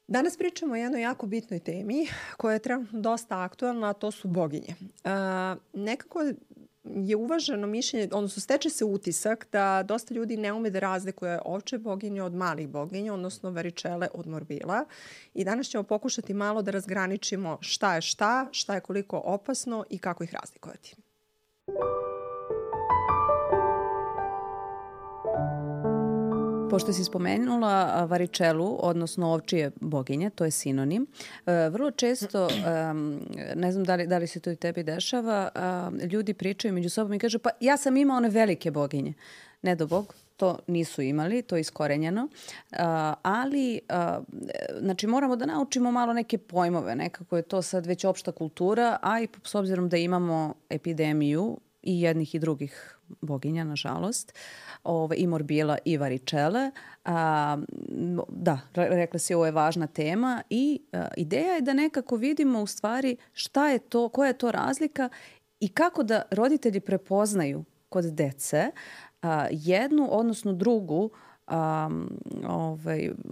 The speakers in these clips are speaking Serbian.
Danas pričamo o jednoj jako bitnoj temi koja je trenutno dosta aktualna, a to su boginje. Nekako je uvaženo mišljenje, odnosno steče se utisak da dosta ljudi ne ume da razlikuje ovče boginje od malih boginja, odnosno varičele od morbila. I danas ćemo pokušati malo da razgraničimo šta je koliko opasno i kako ih razlikovati. Pošto si spomenula varičelu, odnosno ovčije boginje, to je sinonim, vrlo često, ne znam da li se to i tebi dešava, ljudi pričaju među sobom i kažu pa ja sam imao one velike boginje. Ne do Bog, to nisu imali, to je iskorenjeno, ali znači moramo da naučimo malo neke pojmove, nekako je to sad već opšta kultura, a i s obzirom da imamo epidemiju i jednih i drugih boginja, nažalost, i morbila i varičele. Da, rekla si, ovo je važna tema i ideja je da nekako vidimo u stvari šta je to, koja je to razlika i kako da roditelji prepoznaju kod dece jednu, odnosno drugu,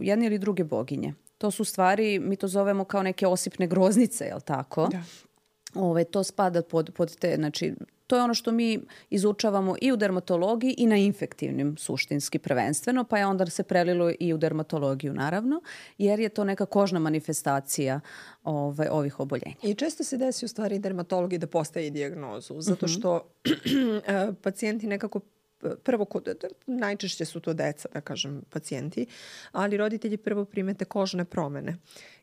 jedne ili druge boginje. To su stvari, mi to zovemo kao neke osipne groznice, je li tako? Da. To spada pod te, znači, to je ono što mi izučavamo i u dermatologiji i na infektivnim suštinski prvenstveno, pa je onda se prelilo i u dermatologiju naravno, jer je to neka kožna manifestacija ovih oboljenja. I često se desi u stvari dermatologiji da postaje dijagnozu, zato što pacijenti nekako prvo, najčešće su to deca, da kažem, pacijenti, ali roditelji prvo primete kožne promene.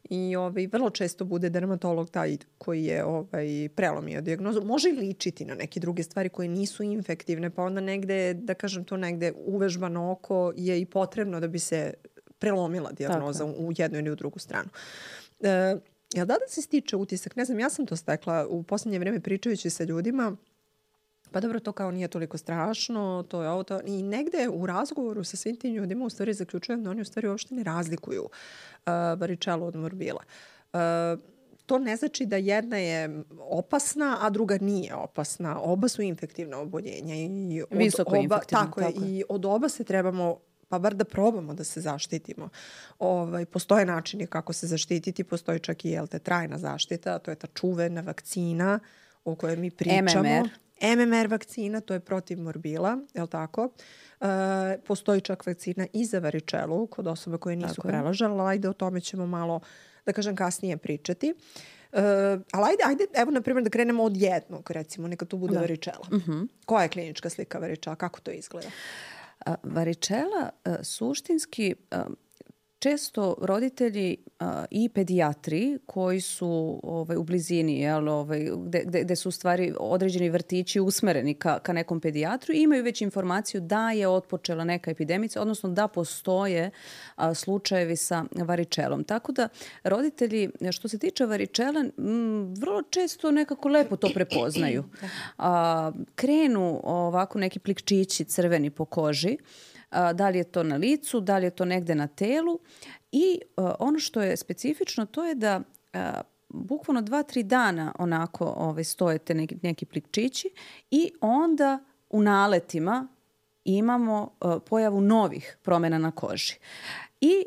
I vrlo često bude dermatolog taj koji je prelomio dijagnozu. Može ličiti na neke druge stvari koje nisu infektivne, pa onda negde, da kažem to negde uvežbano oko je i potrebno da bi se prelomila dijagnoza u jednu ili u drugu stranu. Jel da se stiče utisak? Ne znam, ja sam to stekla u posljednje vreme pričajući sa ljudima. Pa dobro, to kao nije toliko strašno, to je ovo, to. I negde u razgovoru sa svim tim ljudima u stvari zaključujem da oni u stvari uopšte ne razlikuju varičelu od morbila. To ne znači da jedna je opasna, a druga nije opasna. Oba su infektivna oboljenja. Visoko infektivna. Tako je. I od oba se trebamo, pa bar da probamo da se zaštitimo. Postoje načini kako se zaštititi, postoji čak i trajna zaštita, to je ta čuvena vakcina o kojoj mi pričamo. MMR vakcina, to je protiv morbila, je li tako? Postoji čak vakcina i za varičelu kod osoba koje nisu prelažale, ali ajde o tome ćemo malo, da kažem, kasnije pričati. Ali ajde, evo na primjer da krenemo od jednog, recimo, neka tu bude varičela. Koja je klinička slika varičela? Kako to izgleda? Varičela suštinski često roditelji i pedijatri koji su u blizini, gde su u stvari određeni vrtići usmereni ka nekom pedijatru, imaju već informaciju da je otpočela neka epidemica, odnosno da postoje slučajevi sa varičelom. Tako da roditelji, što se tiče varičela, vrlo često nekako lepo to prepoznaju. Krenu ovako neki plikčići crveni po koži, da li je to na licu, da li je to negde na telu i ono što je specifično to je da bukvalno 2-3 dana onako stojete neki plikčići i onda u naletima imamo pojavu novih promjena na koži. I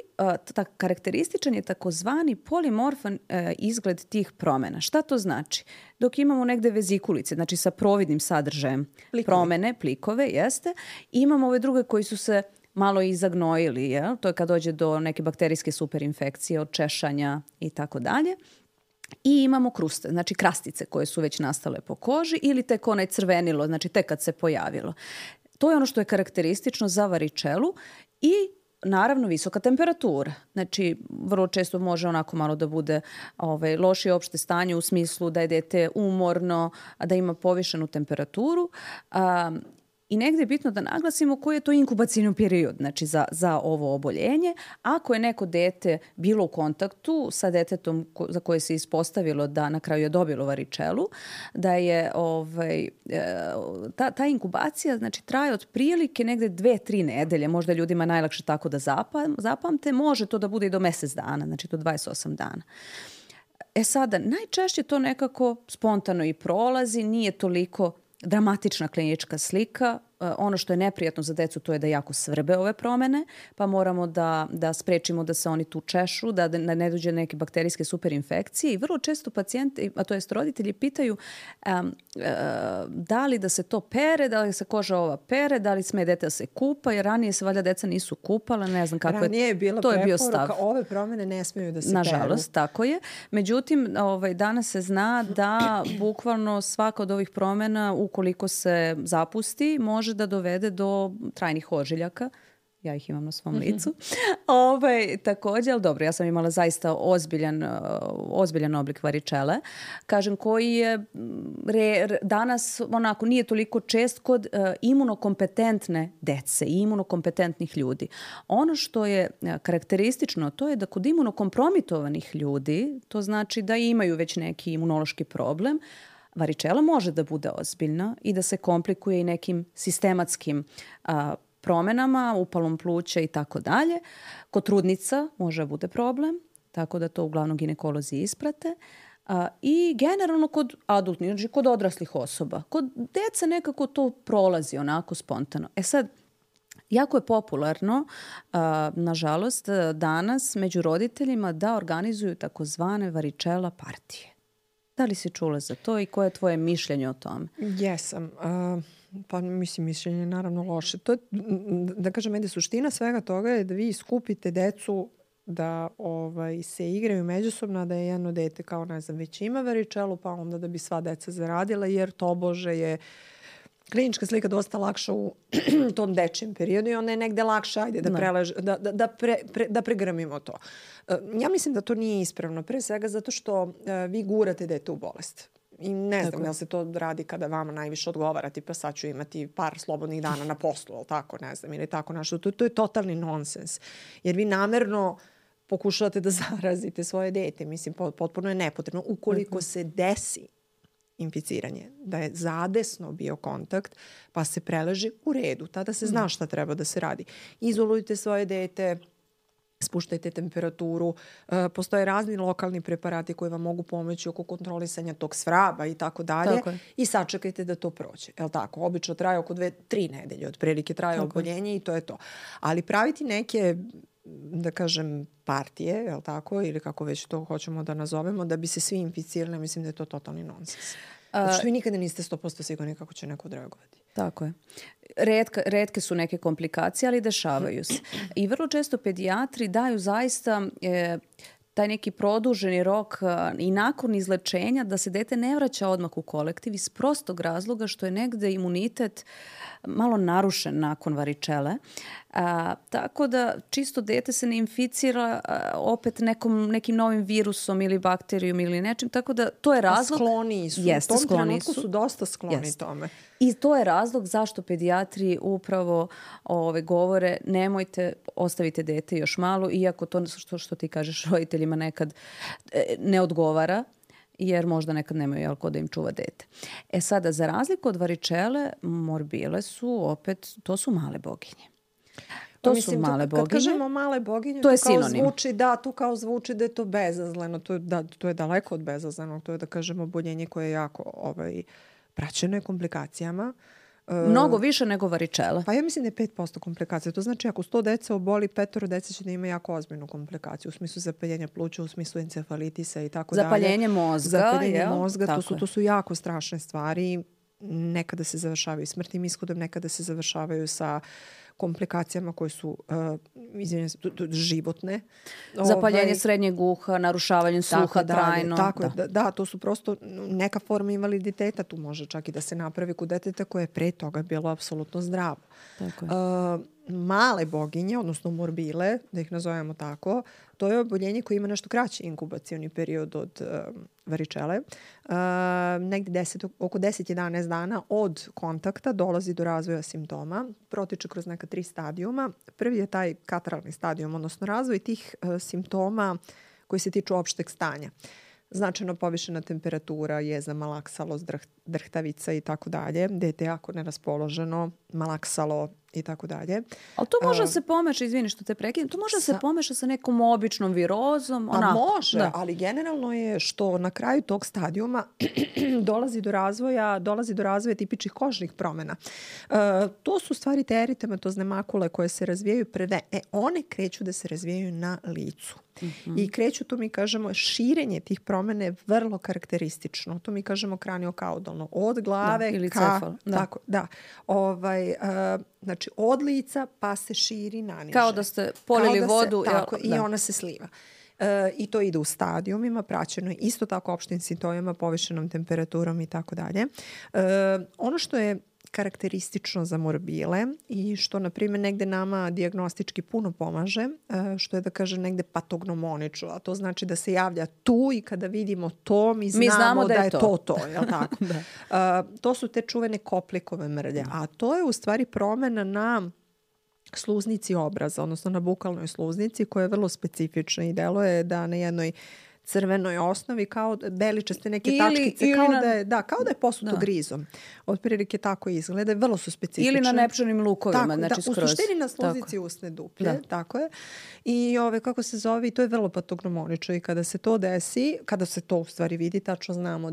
karakterističan je takozvani polimorfan izgled tih promjena. Šta to znači? Dok imamo negde vezikulice, znači sa providnim sadržajem promjene, plikove, jeste, imamo ove druge koji su se malo izagnojili, jel? To je kad dođe do neke bakterijske superinfekcije, od češanja i tako dalje. I imamo kruste, znači krastice koje su već nastale po koži ili tek onaj crvenilo, znači tek kad se pojavilo. To je ono što je karakteristično za varičelu i naravno visoka temperatura. Znači vrlo često može onako malo da bude lošije opšte stanje u smislu da je dete umorno, da ima povišenu temperaturu. I negdje je bitno da naglasimo koji je to inkubacijni period, znači za ovo oboljenje. Ako je neko dete bilo u kontaktu sa detetom za koje se ispostavilo da na kraju je dobilo varičelu, da je ta inkubacija znači traje otprilike negdje 2-3 nedelje, možda ljudima najlakše tako da zapamte, može to da bude i do mjesec dana, znači do 28 dana. Sada, najčešće to nekako spontano i prolazi, nije toliko dramatična klinička slika, ono što je neprijatno za decu, to je da jako svrbe ove promene, pa moramo da sprečimo da se oni tu češu, da ne dođe neke bakterijske superinfekcije i vrlo često pacijenti, a to jest roditelji, pitaju da li da se to pere, da li se koža ova pere, da li sme dete da se kupa, jer ranije se valjda deca nisu kupala, ne znam kako ranije je bila to je bio preporuka, stav. ove promene ne smeju da se Nažalost, tako je. Međutim, danas se zna da bukvalno svaka od ovih promjena, ukoliko se zapusti, može da dovede do trajnih ožiljaka. Ja ih imam na svom licu. Također, ali dobro, ja sam imala zaista ozbiljan oblik varičele, kažem, koji je danas onako nije toliko čest kod imunokompetentne dece i imunokompetentnih ljudi. Ono što je karakteristično, to je da kod imunokompromitovanih ljudi, to znači da imaju već neki imunološki problem, varičela može da bude ozbiljna i da se komplikuje i nekim sistematskim promjenama, upalom pluća i tako dalje. Kod trudnica može bude problem, tako da to uglavnom ginekolozi isprate. I generalno kod adultnih, znači kod odraslih osoba. Kod dece nekako to prolazi onako spontano. Sad, jako je popularno, nažalost, danas među roditeljima da organizuju takozvane varičela partije. Da li si čula za to i koje je tvoje mišljenje o tome? Jesam. Pa mislim, mišljenje je naravno loše. To je, da kažem, ajde, suština svega toga je da vi skupite decu da se igraju međusobno, da je jedno dete kao, ne znam, već ima varičelu, pa onda da bi sva deca zaradila, jer tobože je klinička slika dosta lakša u tom dečijem periodu i onda je negde lakše, ajde, da pregrmimo to. Ja mislim da to nije ispravno. Pre svega zato što vi gurate dete u bolest. I ne znam, jel se to radi kada vama najviše odgovara, tipa sad ću imati par slobodnih dana na poslu, ali tako, ne znam, ili tako nešto. To je totalni nonsens. Jer vi namerno pokušavate da zarazite svoje dete. Mislim, potpuno je nepotrebno. Ukoliko se desi inficiranje, da je zadesno bio kontakt, pa se preleži u redu. Tada se zna šta treba da se radi. Izolujte svoje dete, spuštajte temperaturu. Postoje razni lokalni preparati koji vam mogu pomoći oko kontrolisanja tog svraba i tako dalje. I sačekajte da to prođe. Jel tako? Obično traje oko 2-3 nedelje. Otprilike traje oboljenje i to je to. Ali praviti neke, da kažem, partije, jel tako? Ili kako već to hoćemo da nazovemo, da bi se svi inficirali, mislim da je to totalni nonsens. Zato što vi nikada niste 100% sigurni kako će neko odreagovati. Tako je. Retke su neke komplikacije, ali dešavaju se. I vrlo često pedijatri daju zaista taj neki produženi rok i nakon izlečenja da se dete ne vraća odmah u kolektiv iz prostog razloga što je negde imunitet malo narušen nakon varičele. Tako da čisto dete se ne inficira opet nekim novim virusom ili bakterijom ili nečim. Tako da to je razlog. Skloniji su. Jeste, u tom trenutku su dosta skloni tome. I to je razlog zašto pedijatri upravo govore nemojte, ostavite dete još malo, iako to što ti kažeš roditeljima nekad ne odgovara, jer možda nekad nemaju ko da im čuva dete. Sada, za razliku od varičele, morbile su opet, to su male boginje. To su male boginje. Kad kažemo male boginje, to je sinonim. Tu kao zvuči da je to bezazleno. To je daleko od bezazlenog. To je, da kažemo, oboljenje koje je jako praćeno je komplikacijama. Mnogo više nego varičela. Pa ja mislim da je 5% komplikacija. To znači ako 100 dece oboli, 5 dece će da ima jako ozbiljnu komplikaciju. U smislu zapaljenja pluća, u smislu encefalitisa i tako dalje. Zapaljenje mozga. To su jako strašne stvari. Nekada se završavaju smrtnim ishodom, nekada se završavaju sa komplikacijama koje su životne. Zapaljenje srednjeg uha, narušavanje sluha trajno. Da, to su prosto neka forma invaliditeta. Tu može čak i da se napravi kod deteta koje je pre toga bilo apsolutno zdravo. Male boginje, odnosno morbile, da ih nazovemo tako, to je oboljenje koje ima nešto kraći inkubacioni period od varičele. Negdje oko 10-11 dana od kontakta dolazi do razvoja simptoma. Protiče kroz neka 3 stadijuma. Prvi je taj kataralni stadijum, odnosno razvoj tih simptoma koji se tiču opšteg stanja. Značajno povišena temperatura, jeza, malaksalost, drhtavica i tako dalje. Dete je jako neraspoloženo, malaksalo, i tako dalje. Ali to može se pomeša, izvini što te prekidam, to može se pomeša sa nekom običnom virozom. Pa može, ali generalno je što na kraju tog stadijuma dolazi do razvoja tipičnih kožnih promjena. To su stvari te eritematozne makule koje se razvijaju prve. One kreću da se razvijaju na licu. I kreću, to mi kažemo, širenje tih promjena je vrlo karakteristično. To mi kažemo kraniokaudalno. Od glave ili ka... cefal. Tako, da. Znači, od lica pa se širi naniže. Kao da ste polili vodu. Tako, i ona se sliva. I to ide u stadijumima, praćeno je isto tako opštim simptomima, povišenom temperaturom i tako dalje. Ono što je karakteristično za morbile i što, na primjer, negde nama dijagnostički puno pomaže, što je da kaže negde patognomonično, a to znači da se javlja tu i kada vidimo to, mi znamo da je to. Jel tako? To su te čuvene koplikove mrlje, a to je u stvari promjena na sluznici obraza, odnosno na bukalnoj sluznici, koja je vrlo specifična i deluje da na jednoj crvenoj osnovi, kao beličaste neke tačkice, kao da je posuto grizom. Otprilike tako izgleda, vrlo su specifične. Ili na nepčanim lukovima, tako, znači skroz. U suštini na sluznici usne duplje, tako je. I kako se zove, to je vrlo patognomonično i kada se to desi, kada se to u stvari vidi, tačno znamo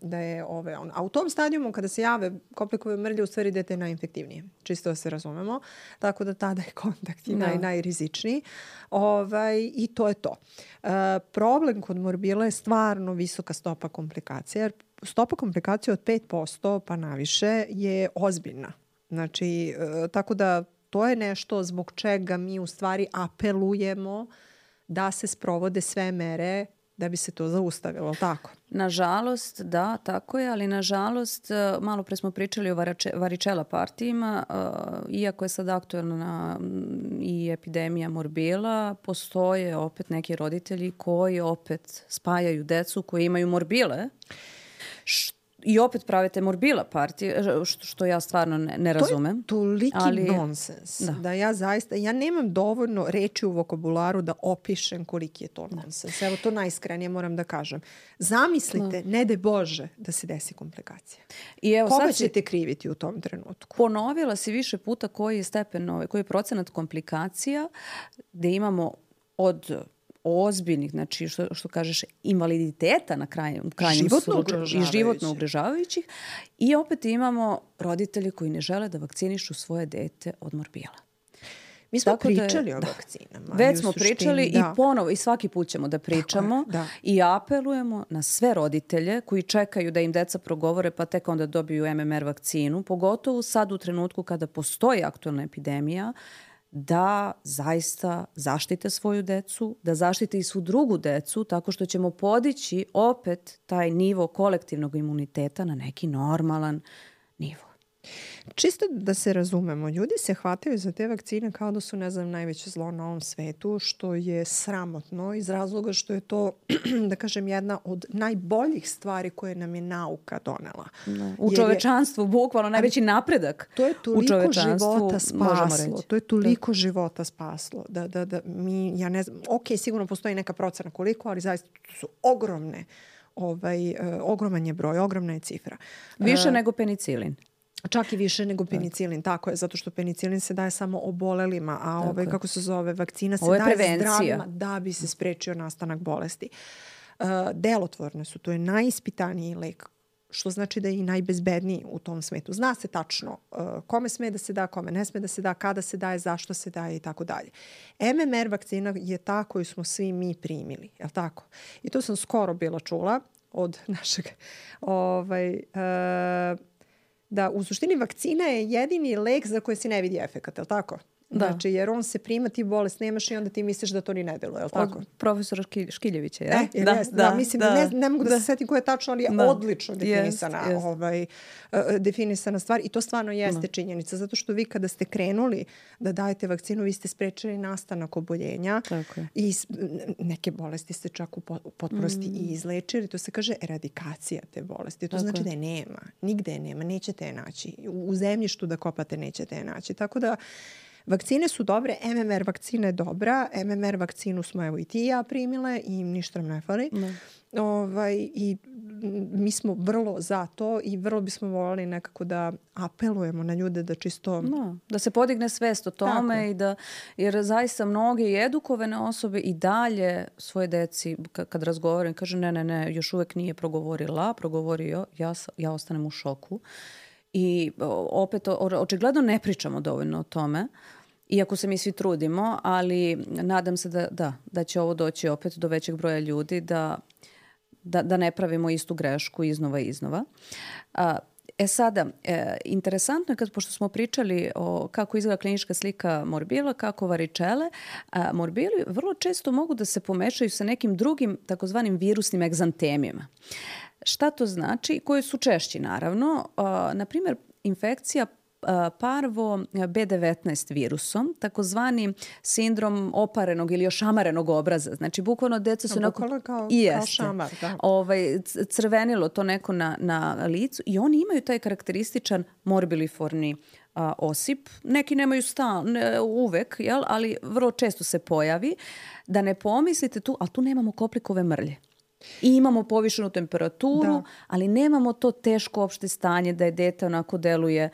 da je on. A u tom stadijumu kada se jave koplikove mrlje, u stvari dete je najinfektivnije. Čisto da se razumemo. Tako da tada je kontakt najrizičniji. I to je to. Problem kod morbila je stvarno visoka stopa komplikacija. Jer stopa komplikacija od 5% pa naviše je ozbiljna. Znači, tako da to je nešto zbog čega mi u stvari apelujemo da se sprovode sve mere da bi se to zaustavilo, tako? Nažalost, da, tako je, ali nažalost, malo pre smo pričali o varičela partijima, iako je sad aktualna i epidemija morbila, postoje opet neki roditelji koji opet spajaju decu koji imaju morbile, i opet pravite morbila partije, što ja stvarno ne razumem. To je toliki nonsens. Da ja nemam dovoljno reči u vokabularu da opišem koliki je to nonsens. Evo, to najiskrenije moram da kažem. Zamislite, ne de Bože, da se desi komplikacija. Koga ćete kriviti u tom trenutku? Ponovila si više puta koji je stepen, koji je procenat komplikacija gde imamo od ozbiljnih, znači što kažeš, invaliditeta na krajnjem i životno ugrožavajućih, i opet imamo roditelji koji ne žele da vakcinišu svoje dete od morbila. Mi smo pričali o vakcinama. Već smo pričali i ponovo, i svaki put ćemo da pričamo i apelujemo na sve roditelje koji čekaju da im deca progovore pa tek onda dobiju MMR vakcinu, pogotovo sad u trenutku kada postoji aktualna epidemija, da zaista zaštite svoju decu, da zaštite i svu drugu decu, tako što ćemo podići opet taj nivo kolektivnog imuniteta na neki normalan nivo. Čisto da se razumemo, ljudi se hvataju za te vakcine kao da su, najveće zlo na ovom svetu, što je sramotno iz razloga što je to, da kažem, jedna od najboljih stvari koje nam je nauka donela. U čovečanstvu, bukvalno najveći napredak. To je toliko života spaslo. To je toliko života spaslo. Da mi, ja ne znam, sigurno postoji neka procena koliko, ali zaista su ogromne, ogroman je broj, ogromna je cifra. Više nego penicilin. Čak i više nego penicilin, tako je, zato što penicilin se daje samo obolelima, a vakcina se daje zdravima da bi se sprečio nastanak bolesti. Delotvorne su, to je najispitaniji lek, što znači da je i najbezbedniji u tom svetu. Zna se tačno kome sme da se da, kome ne sme da se da, kada se daje, zašto se daje i tako dalje. MMR vakcina je ta koju smo svi mi primili, je li tako? I to sam skoro bila čula od našeg da u suštini vakcina je jedini lek za koji se ne vidi efekat, je li tako? Znači, jer on se prima, ti bolest nemaš i onda ti misliš da to ni ne deluje, je li tako? Od profesora Škiljevića, je? Mislim, ne mogu da se setim koja je tačno, ali je odlično definisana stvar i to stvarno jeste činjenica, zato što vi kada ste krenuli da dajete vakcinu, vi ste sprečili nastanak oboljenja i neke bolesti ste čak u potpunosti i izlečili. To se kaže eradikacija te bolesti. To znači da je nema. Nigde je nema. Nećete je naći. U zemljištu da kopate nećete je naći. Tako da vakcine su dobre, MMR vakcina je dobra, MMR vakcinu smo evo i ti i ja primile i ništa nam ne fali. I mi smo vrlo za to i vrlo bismo voljeli nekako da apelujemo na ljude da čisto... Da se podigne svest o tome i da, jer zaista mnoge i edukovane osobe i dalje svoje deci kad razgovaram kaže ne, još uvek nije progovorio, ja ostanem u šoku. I opet očigledno ne pričamo dovoljno o tome. Iako se mi svi trudimo, ali nadam se da će ovo doći opet do većeg broja ljudi, da ne pravimo istu grešku iznova. Sada, interesantno je pošto smo pričali o kako izgleda klinička slika morbila, kako varičele, morbili vrlo često mogu da se pomešaju sa nekim drugim takozvanim virusnim egzantemima. Šta to znači? Koji su češći, naravno. Na primjer, infekcija parvo B19 virusom, takozvani sindrom oparenog ili ošamarenog obraza. Znači, bukvalno deca su kao šamar, da. Crvenilo to neko na licu i oni imaju taj karakterističan morbiliforni osip. Neki nemaju uvek, ali vrlo često se pojavi. Da ne pomislite tu, ali tu nemamo koplikove mrlje. I imamo povišenu temperaturu, ali nemamo to teško opšte stanje da je dete onako deluje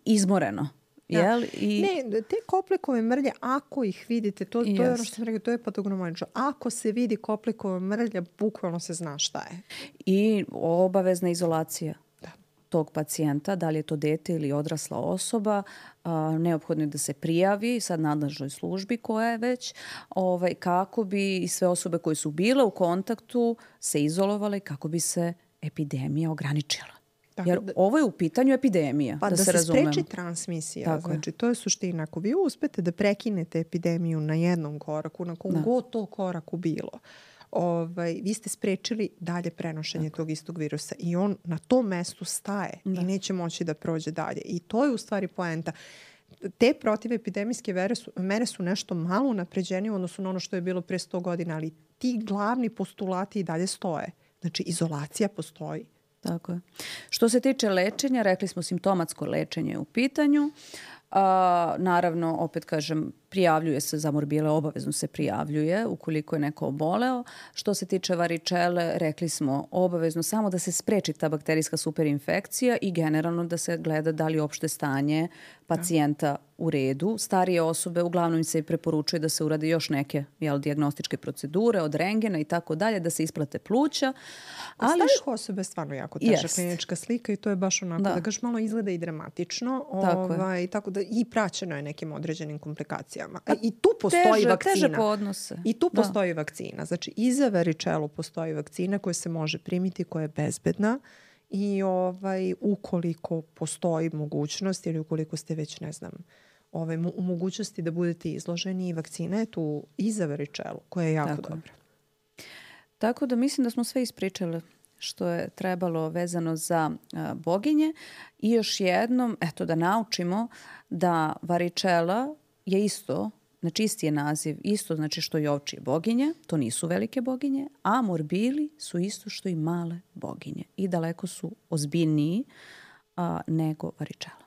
izmoreno. Ne, te koplikove mrlje, ako ih vidite, to je ono što sam rekao, to je patognomonično. Ako se vidi koplikove mrlje, bukvalno se zna šta je. I obavezna izolacija tog pacijenta, da li je to dete ili odrasla osoba, neophodno je da se prijavi sad nadležnoj službi koja je već, kako bi i sve osobe koje su bile u kontaktu se izolovale, kako bi se epidemija ograničila. Jer ovo je u pitanju epidemija, da se razumemo. Spreči transmisija. Znači, to je suština. Ako vi uspete da prekinete epidemiju na jednom koraku, na kom god to koraku bilo, vi ste sprečili dalje prenošenje tog istog virusa i on na tom mestu staje i neće moći da prođe dalje. I to je u stvari poenta. Te protivepidemijske mere su nešto malo unapređenije u odnosu na ono što je bilo pre 100 godina, ali ti glavni postulati i dalje stoje. Znači, izolacija postoji. Tako je. Što se tiče lečenja, rekli smo simptomatsko lečenje u pitanju. Naravno, opet kažem, prijavljuje se za morbile, obavezno se prijavljuje ukoliko je neko oboleo. Što se tiče varičele, rekli smo obavezno samo da se spreči ta bakterijska superinfekcija i generalno da se gleda da li opšte stanje pacijenta u redu. Starije osobe uglavnom se i preporučuje da se urade još neke dijagnostičke procedure od rengena i tako dalje, da se isplate pluća. Starijih osobe je stvarno jako teža klinička slika i to je baš onako da gaš malo izgleda i dramatično. Tako da i praćeno je nekim određenim komplikacijama. I tu postoji vakcina. Teže podnose. I tu postoji vakcina. Znači, i za varičelu postoji vakcina koja se može primiti, koja je bezbedna i ukoliko postoji mogućnost ili ukoliko ste već, ne znam, u mogućnosti da budete izloženi, vakcina je tu i za varičelu, koja je jako dobra. Tako da mislim da smo sve ispričali što je trebalo vezano za boginje i još jednom, da naučimo da varičela je isto, znači isti je naziv, isto znači što i ovčije boginje, to nisu velike boginje, a morbili su isto što i male boginje i daleko su ozbiljniji nego varičela.